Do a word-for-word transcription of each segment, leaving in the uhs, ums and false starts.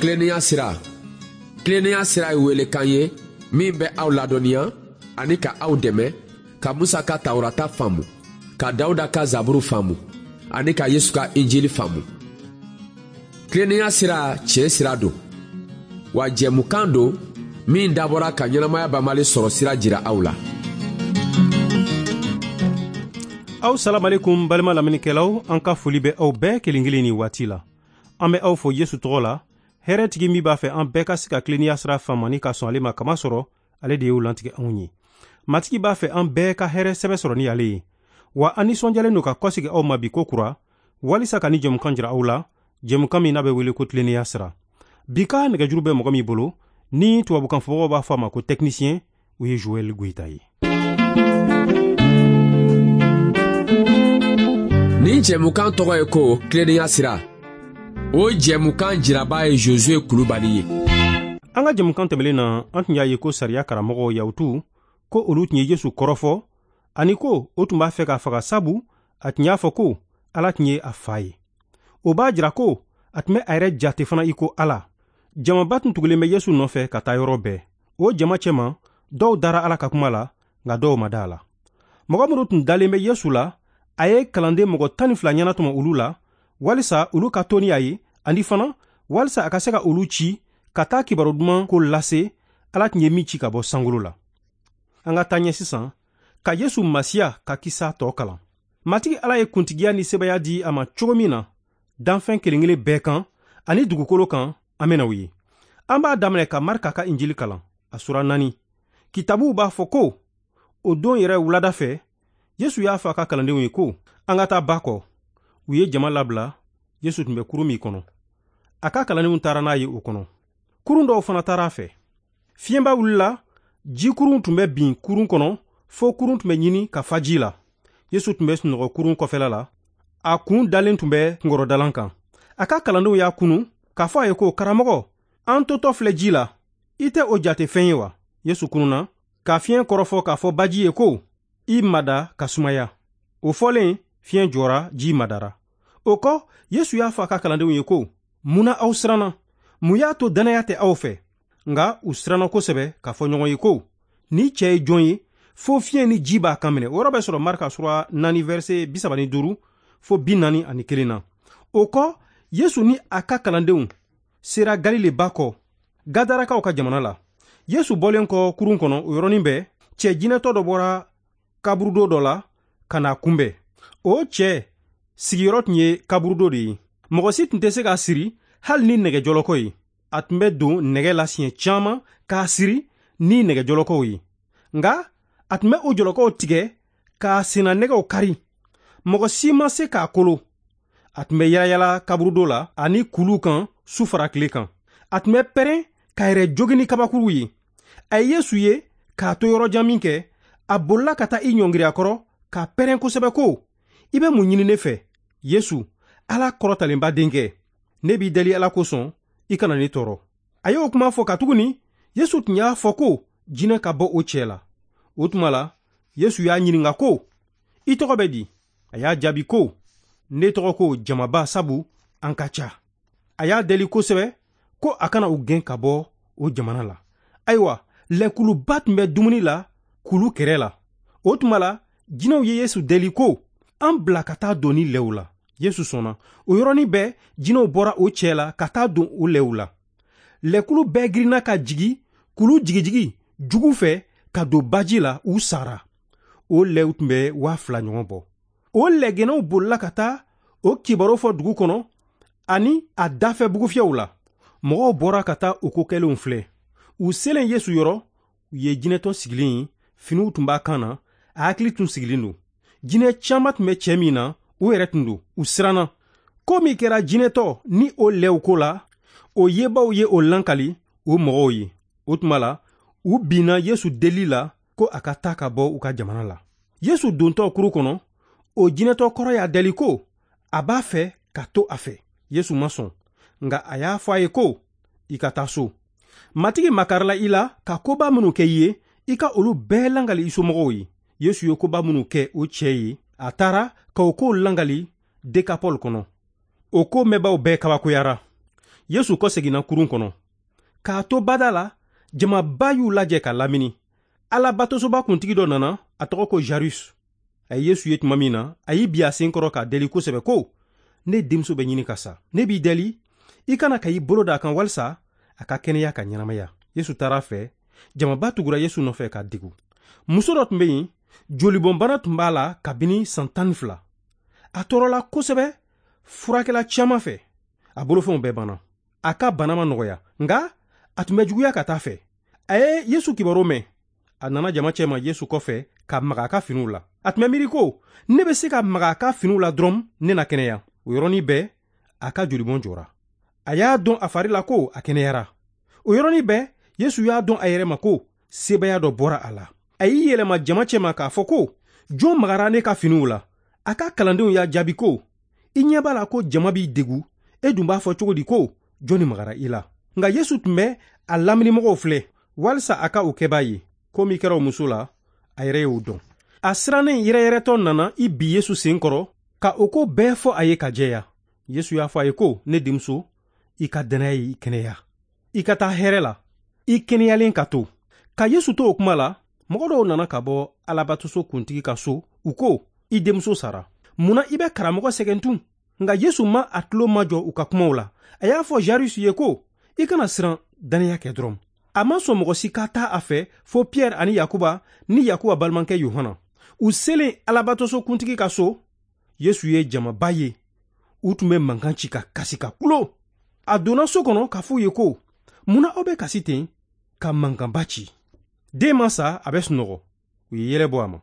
Tilennenya sira. Tilennenya sira ye welekan ye min bɛ aw ladɔnniya ani ka aw dɛmɛ ka Musa ka Tawurata faamu, ka Dawuda ka Zaburu faamu ani ka Yesu ka Injili faamu. Tilennenya sira tiɲɛ sira don, wa jɛmukan don min dabɔra ka ɲɛnamaya banbali sɔrɔ sira jira aw la. Aw salamalekum balima lamɛnnikɛlaw, an ka foli bɛ aw bɛɛ kelen kelen ni waati la. An bɛ aw fo Yesu tɔgɔ la, hɛrɛtigi min b'a fɛ an bɛɛ ka se ka tilennenya sira faamu ani ka sɔn ale ma, kama sɔrɔ ale de y'o lantigɛ anw ye. Matigi b'a fɛ an bɛɛ ka hɛrɛ sɛbɛ sɔrɔ ni ale ye. Wa an nisɔndiyalen don ka kɔsegi aw ma bi ko kura, walisa ka ni jɛmukan jira aw la, jɛmukan min n'a bɛ wele ko tilennenya sira. Bi ka nɛgɛjuru bɛ mɔgɔ min bolo, ni tubabukan fɔbagaw b'a fɔ a ma ko technicien, o ye Joël Goïta ye. Nin jɛmukan tɔgɔ ye ko tilennenya sira. O jɛmukan jiraba ye Josué Kulubali ye. An ka jɛmukan tɛmɛlen na, an tun y'a ye ko sariya karamɔgɔw Yahutu ko olu tun ye Yesu kɔrɔfɔ, ani ko o tun b'a fɛ k'a faga, sabu a tun y'a fɔ ko Ala tun ye a fa ye. O b'a jira ko a tun bɛ a yɛrɛ jate fana i ko Ala. Jamaba tun tugulen bɛ Yesu nɔfɛ ka taa yɔrɔ bɛɛ. O jama cɛma, dɔw dara Ala ka kuma la, nka dɔw ma da a la. Mɔgɔ minnu tun dalen bɛ Yesu la, a ye kalanden mɔgɔ tan ni fila ɲɛnatɔmɔ olu la, walisa olu ka to ni a ye, ani fana walisa a ka se ka olu ci ka taa kibaru duman ko lase Ala tun ye min ci ka bɔ sankolo la. An ka taa ɲɛ sisan ka Yesu Masiya ka kisa tɔ kalan. Matigi Ala ye kuntigiya ni sebaya di a ma cogo min na danfɛn kelen kelen bɛɛ kan ani dugukolo kan, an bɛna o ye. An b'a daminɛ ka Marika ka Injili kalan, a sura naani. Kitabuw b'a fɔ ko o don yɛrɛ wulada fɛ, Yesu y'a fɔ a ka kalandenw ye ko an ka taa ba kɔ. U ye jama labila, Yesu tun bɛ kurun min kɔnɔ. A ka kalandenw taara n'a ye o kɔnɔ. Kurun dɔw fana taara a fɛ. Fiɲɛba wulila, jikurun tun bɛ bin kurun kɔnɔ, fo kurun tun bɛ ɲini ka fa ji la. Yesu tun bɛ sunɔgɔ kurun kɔfɛla la, a kun dalen tun bɛ kunkɔrɔdalan kan. A ka kalandenw y'a kunu k'a fɔ a ye ko karamɔgɔ, an totɔ filɛ ji la, i tɛ o jate fɛn ye wa? Yesu kununa ka fiɲɛ kɔrɔfɔ k'a fɔ baji ye ko i mada ka sumaya. O fɔlen, fiɲɛ jɔra, ji madara. O kɔ, Yesu y'a fɔ a ka kalandenw ye ko mun na aw siranna? Mun y'a to dannaya tɛ aw fɛ? Nka u siranna kosɛbɛ k'a fɔ ɲɔgɔn ye ko ni cɛ ye jɔn ye, fo fiɲɛ ni ji b'a kan minɛ. O yɔrɔ bɛ sɔrɔ Marika sura naani verset bi saba ni duuru fo bi naani ani kelen na. O kɔ, Yesu ni a ka kalandenw sera Galile ba kɔ, Gadarakaw ka jamana la. Yesu bɔlen kɔ kurun kɔnɔ, o yɔrɔnin bɛɛ, cɛ jinɛtɔ dɔ bɔra kaburudo dɔ la ka n'a kunbɛn. O cɛ sigiyɔrɔ tun ye kaburudo de ye. Mɔgɔ si tun tɛ se k'a siri hali ni nɛgɛjɔlɔkɔ ye. A tun bɛ don nɛgɛ la siɲɛ caman k'a siri ni nɛgɛjɔlɔkɔw ye. Nka a tun bɛ o jɔlɔkɔw tigɛ k'a senna nɛgɛw kari. Mɔgɔ si ma se k'a kolo. A tun bɛ yalayala kaburudo la ani kuluw kan su fara tile kan. A tun bɛ pɛrɛn k'a yɛrɛ jogin ni kabakuruw ye. A ye Yesu ye k'a to yɔrɔ jan min kɛ, a bolila ka taa i ɲɔngiri a kɔrɔ k'a pɛrɛn kosɛbɛ ko i bɛ mun ɲini ne fɛ, Yesu, Ala kɔrɔtalenba denkɛ? Ne b'i deli Ala kosɔn, i kana ne tɔɔrɔ. A y'o kuma fɔ katuguni Yesu tun y'a fɔ ko jinɛ ka bɔ o cɛ la. O tuma la, Yesu y'a ɲininka ko i tɔgɔ bɛ di? A y'a jaabi ko ne tɔgɔ ko jamaba, sabu an ka ca. A y'a deli kosɛbɛ ko a kana u gɛn ka bɔ o jamana la. Ayiwa, lɛkuluba tun bɛ dumuni la kulu kɛrɛ la. O tuma la, jinɛw ye Yesu deli ko an bila ka taa don ni lɛw la. Yesu sɔnna. O yɔrɔnin bɛɛ, jinɛw bɔra o cɛ la ka taa don o lɛw la. Lɛkulu bɛɛ girinna ka jigi kulu jigijigi jugu fɛ ka don baji la, u sara. O lɛw tun bɛ waa fila ɲɔgɔn bɔ. O lɛgɛnɛw bolila ka taa o kibaru fɔ dugu kɔnɔ ani a dafɛ bugufiyɛw la. Mɔgɔw bɔra ka taa o ko kɛlenw filɛ. U selen Yesu yɔrɔ, u ye jinɛtɔ sigilen ye, finiw tun b'a kan na, a hakili tun sigilen don. Jinɛ caman tun bɛ cɛ min na, o yɛrɛ tun don. U siranna. Ko min kɛra jinɛtɔ ni o lɛw ko la, o yebaw ye o lankali o mɔgɔw ye. O tuma la, u binna Yesu deli la ko a ka taa ka bɔ u ka jamana la. Yesu dontɔ kuru kɔnɔ, o jinɛtɔ kɔrɔ y'a deli ko a b'a fɛ ka to a fɛ. Yesu ma sɔn, nka a y'a fɔ a ye ko i ka taa so. Matigi makarila i la ka koba minnu kɛ i ye, i ka olu bɛɛ langali i somɔgɔw ye. Yesu ye koba minnu kɛ o cɛ ye, a taara ka o kow langali Dekapɔli kɔnɔ. O ko mɛnbaw bɛɛ kabakoyara. Yesu kɔseginna kurun kɔnɔ. K'a to bada la, jamaba y'u lajɛ ka lamini. Alabatosoba kuntigi dɔ nana, a tɔgɔ ko Jarus. A ye Yesu ye tuma min na, a y'i bi a sen kɔrɔ k'a deli kosɛbɛ ko: ne denmuso bɛ ɲini ka sa. Ne b'i deli, i kana ka i bolo da a kan walisa a ka kɛnɛya ka ɲɛnamaya. Yesu taara a fɛ, jamaba tugura Yesu nɔfɛ k'a degu. Muso dɔ tun bɛ yen, jolibɔnbana tun b'a la kabini san tan ni fila. A tɔɔrɔla kosɛbɛ furakɛla caman fɛ. A bolofɛnw bɛɛ banna. A ka bana ma nɔgɔya, nka a tun bɛ juguya ka taa fɛ. A ye Yesu kibaru mɛn. A nana jama cɛma Yesu kɔfɛ ka maga a ka finiw la. A tun bɛ miiri ko: ne bɛ se ka maga a ka finiw la dɔrɔn, ne na kɛnɛya. O yɔrɔnin bɛɛ, a ka jolibɔn jɔra. A y'a dɔn a fari la ko a kɛnɛyara. O yɔrɔnin bɛɛ, Yesu y'a dɔn a yɛrɛ ma ko sebaaya dɔ bɔra a la. A y'i yɛlɛma jama cɛma k'a fɔ ko: jɔn magara ne ka finiw la? A ka kalandenw y'a jaabi ko: i ɲɛ b'a la ko jama b'i degu, e dun b'a fɔ cogo di ko jɔnni magara i la? Nka Yesu tun bɛ a laminimɔgɔw filɛ walisa a ka o kɛbaa ye. Ko min kɛra o muso la, a yɛrɛ y'o dɔn. A sirannen yɛrɛyɛrɛtɔ nana i bi Yesu sen kɔrɔ ka o ko bɛɛ fɔ a ye ka jɛya. Yesu y'a fɔ a ye ko: ne denmuso, i ka dannaya y'i kɛnɛya. I ka taa hɛrɛ la, i kɛnɛyalen ka to. Ka Yesu to o kuma la, mɔgɔ dɔw nana ka bɔ Alabatoso kuntigi ka so, u ko: i denmuso sara. Munna i bɛ karamɔgɔ sɛgɛn tun? Nka Yesu ma a tulo majɔ u ka kumaw la. A y'a fɔ Jarus ye ko: i kana siran, dannaya kɛ dɔrɔn. A ma sɔn mɔgɔ si ka taa a fɛ fo Pierre ani Yakuba ni Yakuba balimakɛ Yohana. U selen Alabatoso kuntigi ka so, Yesu ye jamaba ye. U tun bɛ mankan ci ka kasi ka kulo. A donna so kɔnɔ k'a f'u ye ko: munna aw bɛ kasi ten ka mankanba ci? Den ma sa, a bɛ sunɔgɔ. U ye yɛlɛ bɔ a ma.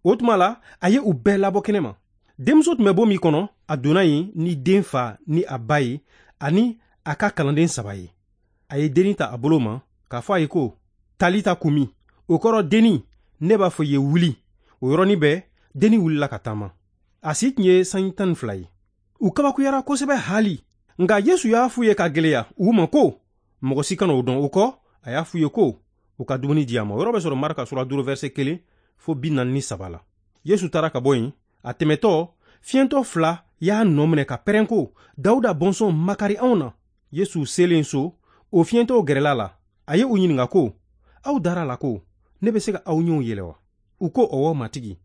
O tuma la, a ye u bɛɛ labɔ kɛnɛ ma. Denmuso tun bɛ bon min kɔnɔ, a donna yen ni den fa ni a ba ye ani a ka kalanden saba ye. A ye dennin ta a bolo ma k'a fɔ a ye ko: Talita kumi. O kɔrɔ dennin, ne b'a fɔ i ye wuli. O yɔrɔnin bɛɛ, dennin wulila ka taama. A si tun ye sanji tan ni fila ye. U kabakuyara kosɛbɛ haali. Nka Yesu y'a f'u ye ka gɛlɛya u ma ko: mɔgɔ si kana o dɔn. O kɔ, a y'a f'u ye ko u ka dumuni di a ma. O yɔrɔ bɛ sɔrɔ Marka sura duuru verset kelen fo bi naani ni saba la. Yesu taara ka bɔ yen. A tɛmɛtɔ, fiyɛntɔ fila y'a nɔ minɛ ka pɛrɛn ko: Dawuda bɔnsɔn, makari anw na. Yesu selen so, o fiyɛntɔw gɛrɛla la. A ye u ɲininka ko: aw dara la ko ne bɛ se ka aw ɲɛw yɛlɛ wa? U ko: ɔwɔ, matigi.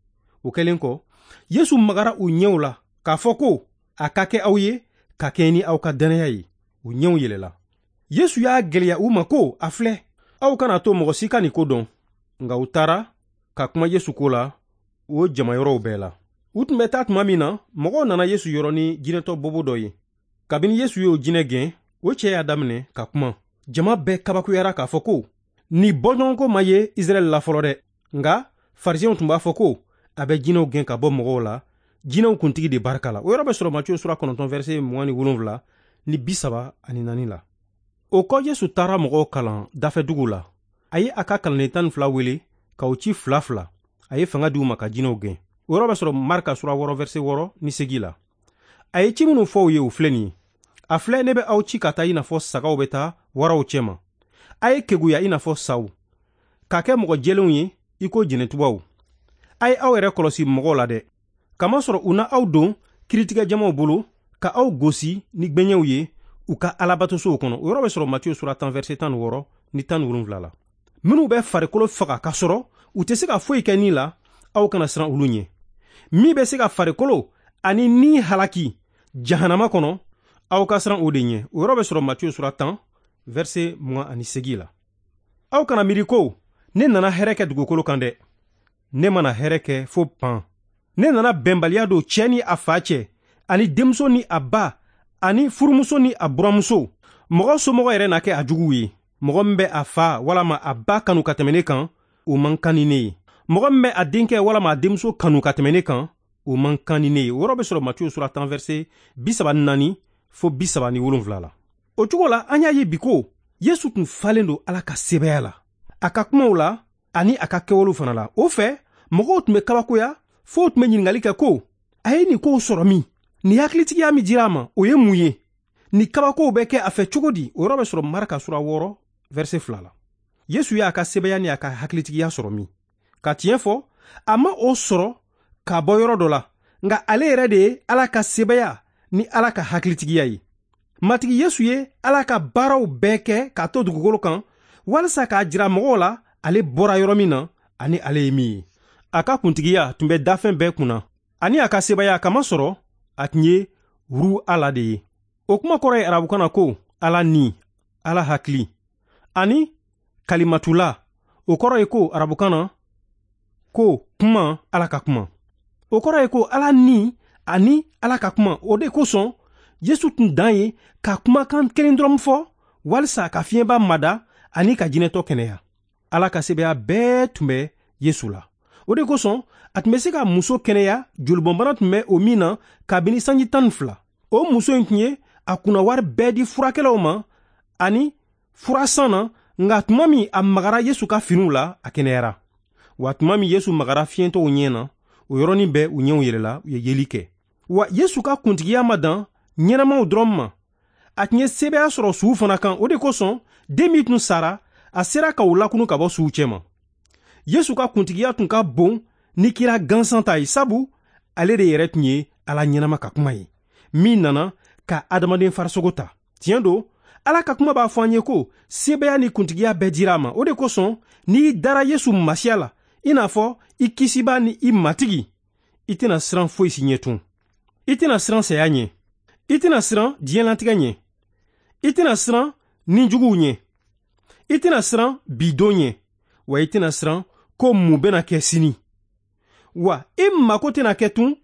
O kɛlen kɔ, Yesu magara u ɲɛw la k'a fɔ ko: a ka kɛ aw ye ka kɛɲɛ ni aw ka dannaya ye. U ɲɛw yɛlɛla. Yesu y'a gɛlɛya u ma ko: a filɛ, aw kana to mɔgɔ si ka nin ko dɔn. Nka u taara ka kuma Yesu ko la o jamayɔrɔw bɛɛ la. U tun bɛ taa tuma min na, mɔgɔw nana Yesu yɔrɔ ni jinɛtɔ bobo dɔ ye. Kabini Yesu y'o jinɛ gɛn, o cɛ y'a daminɛ ka kuma. Jama bɛɛ kabakuyara k'a fɔ ko: nin bɔɲɔgɔnko ma ye Israɛl la fɔlɔ dɛ. Nka farisɛnw tun b'a fɔ ko: a bɛ jinɛw gɛn ka bɔ mɔgɔw la, jinɛw kuntigi de barika la. O yɔrɔ bɛ sɔrɔ Matthieu sura kɔnɔntɔn verset mugan ni wolonwula ni bi saba ani naani la. O kɔ, Yesu taara mɔgɔw kalan dafɛduguw la. A ye a ka kalanden tan ni fila wele k'u ci fila fila. A ye fanga di u ma ka jinɛw gɛn. O yɔrɔ bɛ sɔrɔ Marka sura wɔɔrɔ verset wɔɔrɔ ni segin la. A ye ci minnu fɔ u ye, o filɛ nin ye: a filɛ, ne bɛ aw ci ka taa i n'a fɔ sagaw bɛ taa waraw cɛma. A ye keguya i n'a fɔ saw, ka kɛ mɔgɔ jɛlenw ye i ko jɛnɛtubaw. A ye aw yɛrɛ kɔlɔsi mɔgɔw la dɛ, kamasɔrɔ u na aw don kiiritigɛ jamaw bolo ka aw gosi ni gbɛɲɛw ye u ka alabatosow kɔnɔ. O yɔrɔ bɛ sɔrɔ Matthieu sura tan verset tan ni wɔɔrɔ ni tan ni wolonwula la. Minnu bɛ farikolo faga k'a sɔrɔ u tɛ se ka foyi kɛ ni la, aw kana siran olu ɲɛ. Min bɛ se ka farikolo ani ni halaki jahanama kɔnɔ, aw ka siran o de ɲɛ. O yɔrɔ bɛ sɔrɔ Matthieu sura tan verset mugan ani segin la. Aw kana miiri ko ne nana hɛrɛ kɛ dugukolo kan dɛ. Ne mana hɛrɛ kɛ fo pan. Ne nana bɛnbaliya don cɛ ni a fa cɛ, ani denmuso ni a ba, ani furumuso ni a buramuso. Mɔgɔ somɔgɔ yɛrɛ na kɛ a juguw ye. Mɔgɔ min bɛ a fa walama a ba kanu ka tɛmɛ ne kan, o man kan ni ne ye. Mɔgɔ min bɛ a denkɛ walama a denmuso kanu ka tɛmɛ ne kan, o man kan ni ne ye. O yɔrɔ bɛ sɔrɔ Matthieu sura tan verset bi saba ni naani fo bi saba ni wolonwula la. O cogo la, an y'a ye bi ko Yesu tun falen don Ala ka sebaaya la, a ka kumaw la ani a ka kɛwalew fana la. O fɛ, mɔgɔw tun bɛ kabakoya fo tun bɛ ɲininkali kɛ ko: a ye nin kow sɔrɔ min? Nin hakilitigiya min dira a ma, o ye mun ye? Nin kabakow bɛ kɛ a fɛ cogo di? O yɔrɔ bɛ sɔrɔ Marka sura wɔɔrɔ verset fila la. Yesu y'a ka sebaaya ni a ka hakilitigiya sɔrɔ min? Ka tiɲɛ fɔ, a ma o sɔrɔ ka bɔ yɔrɔ dɔ la, nka ale yɛrɛ de ye Ala ka sebaaya ni Ala ka hakilitigiya ye. Matigi Yesu ye Ala ka baaraw bɛɛ kɛ k'a to dugukolo kan walisa k'a jira mɔgɔw la ale bɔra yɔrɔ min na ani ale ye min ye. A ka kuntigiya tun bɛ dafɛn bɛɛ kunna ani a ka sebaaya kamasɔrɔ a tun ye ru Ala de ye. O kuma kɔrɔ ye arabukan na ko Ala ni, Ala hakili, ani kalimatula, o kɔrɔ ye ko arabukan na ko kuma, Ala ka kuma. O kɔrɔ ye ko Ala ni ani Ala ka kuma. O de kosɔn Yesu tun dan ye ka kumakan kelen dɔrɔn fɔ walisa ka fiɲɛba mada ani ka jinɛtɔ kɛnɛya. Ala ka sebaaya bɛɛ tun bɛ Yesu la. O de kosɔn a tun bɛ se ka muso kɛnɛya jolibɔnbana tun bɛ o min na kabini sanji tan ni fila. O muso in tun ye a kunnawari bɛɛ di furakɛlaw ma ani furasan na, nka tuma min a magara Yesu ka finiw la, a kɛnɛyara. Wa tuma min Yesu magara fiyentɔw ɲɛ na, o yɔrɔnin bɛɛ u ɲɛw yɛlɛla, u ye yeli kɛ. Wa Yesu ka kuntigiya ma dan ɲɛnamaw dɔrɔn ma, a tun ye sebaaya sɔrɔ suw fana kan. O de kosɔn den min tun sara, a sera ka u lakunu ka bɔ suw cɛma. Yesu ka kuntigiya tun ka bon ni kira gansan ta ye, sabu ale de yɛrɛ tun ye Ala ɲɛnama ka kuma ye min nana ka adamaden farisogo ta. Tiɲɛ don, Ala ka kuma b'a fɔ an ye ko sebaaya ni kuntigiya bɛɛ dira a ma. O de kosɔn n'i dara Yesu Masiya la i n'a fɔ i kisibaa ni i matigi, i tɛna siran foyi si ɲɛ tun. I tɛna siran saya ɲɛ, i tɛna siran diɲɛlatigɛ ɲɛ, i tɛna siran nijuguw ɲɛ, i tɛna siran bidon ɲɛ, wa i tɛna siran ko mun bɛna kɛ sini. Wa i mako tɛna kɛ tun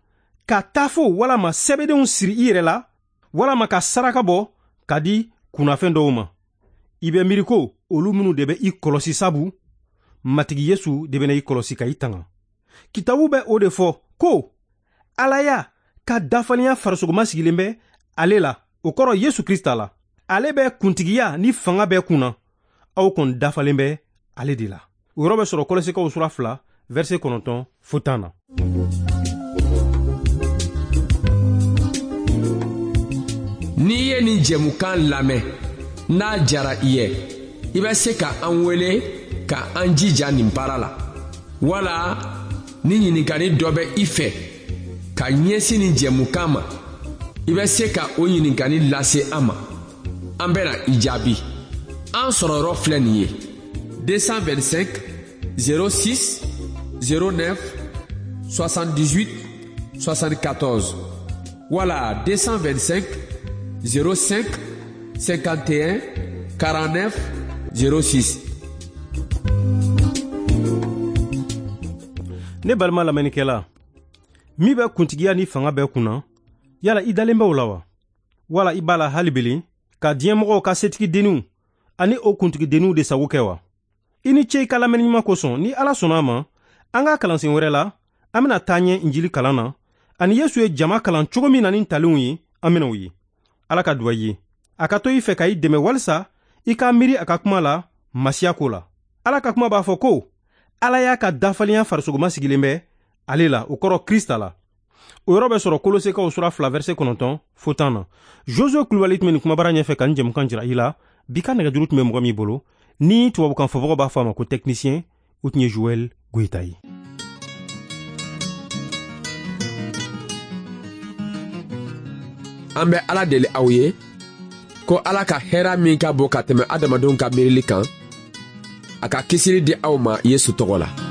ka tafo walama sɛbɛdenw siri i yɛrɛ la walama ka saraka bɔ ka di kunnafɛn dɔw ma. I bɛ miiri ko olu minnu de bɛ i kɔlɔsi, sabu Matigi Yesu de bɛna i kɔlɔsi ka i tanga. Kitabu bɛ o de fɔ ko Alaya ka dafalenya farisogoma sigilen bɛ ale la, o kɔrɔ Yesu Krista la. Ale bɛ kuntigiya ni fanga bɛɛ kunna, aw kɔni dafalen bɛ ale de la. O yɔrɔ bɛ sɔrɔ Kɔlɔsikaw sura fila verset kɔnɔntɔn fo tan na. N'i ye nin jɛmukan lamɛn n'a jara i ye, i bɛ se ka an wele ka an jija nin baara la, wala ni ɲininkali dɔ bɛ i fɛ ka ɲɛsin nin jɛmukan ma, i bɛ se ka o ɲininkali lase an ma, an bɛna i jaabi. An sɔrɔyɔrɔ filɛ nin ye: deux cent vingt-cinq zéro six zéro neuf soixante-dix-huit soixante-quatorze wala deux cent vingt-cinq zéro cinq cinquante et un quarante-neuf zéro six. Ne balima lamɛnnikɛla, min bɛ kuntigiya ni fanga bɛɛ kunna, yala i dalen bɛ o la wa? Wala i b'a la hali belen ka diɲɛmɔgɔw ka setigidenninw ani o kuntigidenninw de sago kɛ wa? I ni ce i ka lamɛnni ɲuman kosɔn. Ni Ala sɔnna a ma, an ka kalansen wɛrɛ la, an bɛna taa ɲɛ Injili kalan na ani Yesu ye jama kalan cogo min na ni talenw ye, an bɛna o ye. Ala ka duwa i ye, a ka to i fɛ ka i dɛmɛ walisa i ka miiri a ka kuma la Masiya ko la. Ala ka kuma b'a fɔ ko Ala y'a ka dafalenya farisogoma sigilen bɛ ale la, o kɔrɔ Krista la. O yɔrɔ bɛ sɔrɔ Kolosekaw sura fila verset kɔnɔntɔn fo tan na. Josue Kulubali tun bɛ nin kumabara ɲɛfɛ ka nin jɛmukan jira i la. Bi ka nɛgɛjuru tun bɛ mɔgɔ min bolo ni tubabukan fɔbagaw b'a fɔ a ma ko technicien, o tun ye Joël Goyita ye. An bɛ Ala deli aw ye ko Ala ka hɛrɛ min ka bon ka tɛmɛ adamadenw ka miirili kan, a ka kisili di aw ma Yesu tɔgɔ la.